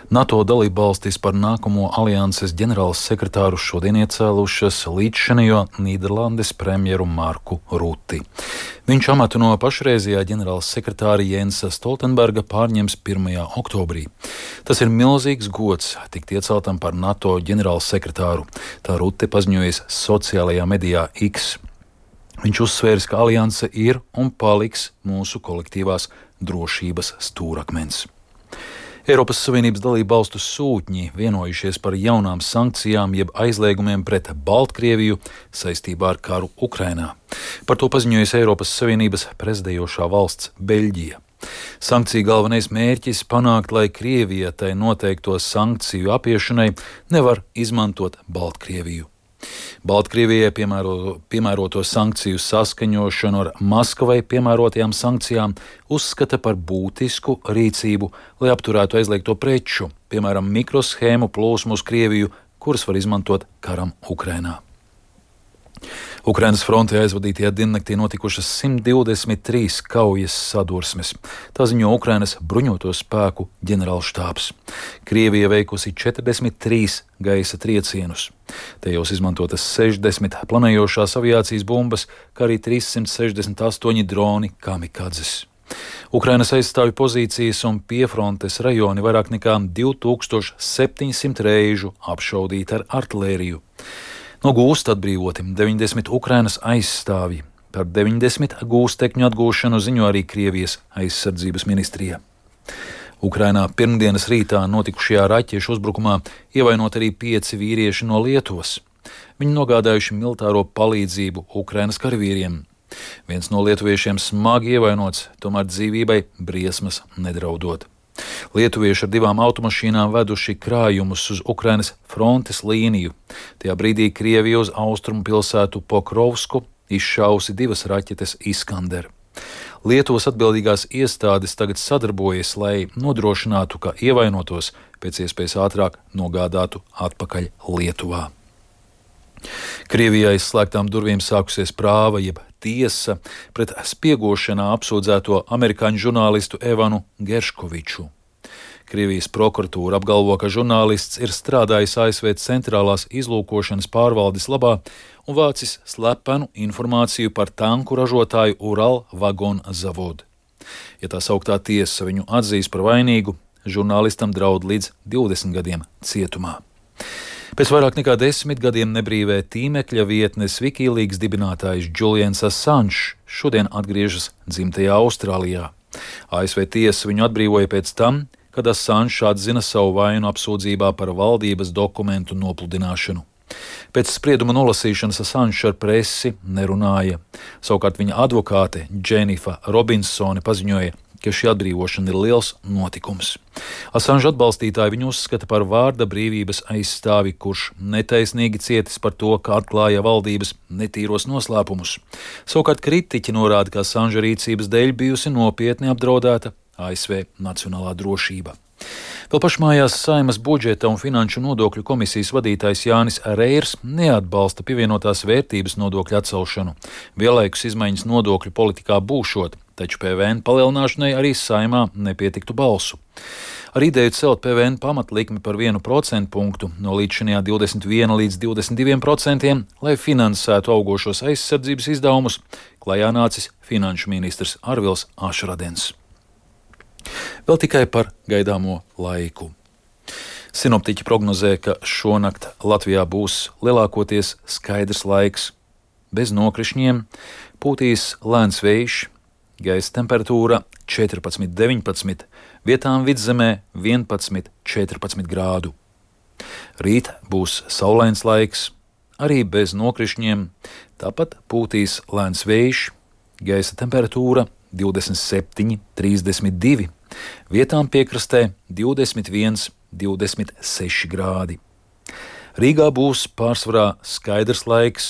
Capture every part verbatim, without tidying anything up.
NATO dalībvalstis par nākamo alianses ģenerāla sekretāru šodien iecēlušas līdzšinējo Nīderlandes premjeru Marku Rutti. Viņš amatu no pašreizējā ģenerāla sekretāra Jensa Stoltenberga pārņems pirmajā oktobrī. Tas ir milzīgs gods tikt ieceltam par NATO ģenerāla sekretāru, tā Rutte paziņojas sociālajā medijā X. Viņš uzsvērs, ka alianse ir un paliks mūsu kolektīvās drošības stūrakmens. Eiropas Savienības dalību valstu sūtņi vienojušies par jaunām sankcijām jeb aizliegumiem pret Baltkrieviju saistībā ar karu Ukrainā. Par to paziņojas Eiropas Savienības prezidējošā valsts Beļģija. Sankciju galvenais mērķis panākt, lai Krievija tai noteikto sankciju apiešanai nevar izmantot Baltkrieviju. Baltkrievijai piemēro, piemēroto sankciju saskaņošanu ar Maskavai piemērotajām sankcijām uzskata par būtisku rīcību, lai apturētu aizliegto preču, piemēram, mikroshēmu plūsmu uz Krieviju, kuras var izmantot karam Ukrainā. Ukrainas frontē aizvadītajā diennaktī notikušas simt divdesmit trīs kaujas sadursmes. Tā ziņo Ukrainas bruņoto spēku ģenerālštābs. Krievija veikusi četrdesmit trīs gaisa triecienus. Tajos izmantotas sešdesmit planējošās aviācijas bumbas, kā arī trīssimt sešdesmit astoņi droni kamikadzes. Ukrainas aizstāvju pozīcijas un piefrontes rajoni vairāk nekā divi tūkstoši septiņsimt reižu apšaudīti ar artilēriju. No gūsta atbrīvoti deviņdesmit Ukrainas aizstāvji. Par deviņdesmit gūstekņu atgūšanu ziņo arī Krievijas aizsardzības ministrija. Ukrainā pirmdienas rītā notikušajā raķešu uzbrukumā ievainot arī pieci vīrieši no Lietuvas. Viņi nogādājuši militāro palīdzību Ukrainas karavīriem. Viens no lietuviešiem smagi ievainots, tomēr dzīvībai briesmas nedraudot. Lietuvieši ar divām automašīnām veduši krājumus uz Ukrainas frontes līniju. Tajā brīdī Krievija uz austrumu pilsētu Pokrovsku izšausi divas raķetes Iskander. Lietuvas atbildīgās iestādes tagad sadarbojas, lai nodrošinātu, ka ievainotos pēc iespējas ātrāk nogādātu atpakaļ Lietuvā. Krievijā aizslēgtām durvīm sākusies prāva jeb tiesa pret spiegošanā apsūdzēto amerikāņu žurnālistu Evanu Gerškoviču. Krievijas prokuratūra apgalvo, ka žurnālists ir strādājis A S V centrālās izlūkošanas pārvaldes labā un vācis slepenu informāciju par tanku ražotāju Ural Vagon Zavod. Ja tā sauktā tiesa viņu atzīs par vainīgu, žurnālistam draud līdz divdesmit gadiem cietumā. Pēc vairāk nekā desmit gadiem nebrīvē tīmekļa vietnes Wikileaks dibinātājs Julians Assange šodien atgriežas dzimtajā Austrālijā. A S V tiesa viņu atbrīvoja pēc tam, kad Assange atzina savu vainu apsūdzībā par valdības dokumentu nopludināšanu. Pēc sprieduma nolasīšanas Assange ar presi nerunāja. Savukārt viņa advokāte Dženifa Robinsone paziņoja, ka šī atbrīvošana ir liels notikums. Assange atbalstītāji viņu uzskata par vārda brīvības aizstāvi, kurš netaisnīgi cietis par to, ka atklāja valdības netīros noslēpumus. Savukārt kritiķi norāda, ka Assange rīcības dēļ bijusi nopietni apdraudēta A S V nacionālā drošība. Vēl pašmājās Saeimas budžeta un finanšu nodokļu komisijas vadītājs Jānis Reirs neatbalsta pievienotās vērtības nodokļu atcelšanu. Vienlaikus izmaiņas nodokļu politikā būšot, taču P V N palielināšanai arī Saeimā nepietiktu balsu. Ar ideju celt P V N pamatlikmi par vienu procentu punktu no līdzšinējā divdesmit viena līdz divdesmit diviem procentiem, lai finansētu augošos aizsardzības izdevumus, klajā nācis finanšu ministrs Arvils Ašradens. Vēl tikai par gaidāmo laiku. Sinoptiķi prognozē, ka šonakt Latvijā būs lielākoties skaidrs laiks, bez nokrišņiem, pūtīs lēns vējš, gaisa temperatūra četrpadsmit deviņpadsmit, vietām vidzemē vienpadsmit četrpadsmit grādu. Rīt būs saulains laiks, arī bez nokrišņiem, tāpat pūtīs lēns vējš, gaisa temperatūra divdesmit septiņi trīsdesmit divi, vietām piekrastē divdesmit viens divdesmit seši grādi. Rīgā būs pārsvarā skaidrs laiks,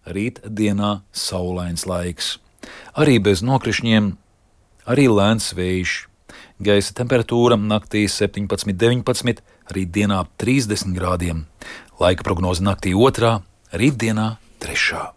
rīt dienā saulains laiks. Arī bez nokrišņiem, arī lēns vējš. Gaisa temperatūra naktī septiņpadsmit deviņpadsmit, rīt dienā trīsdesmit grādiem. Laika prognoze naktī otrā, rīt dienā trešā.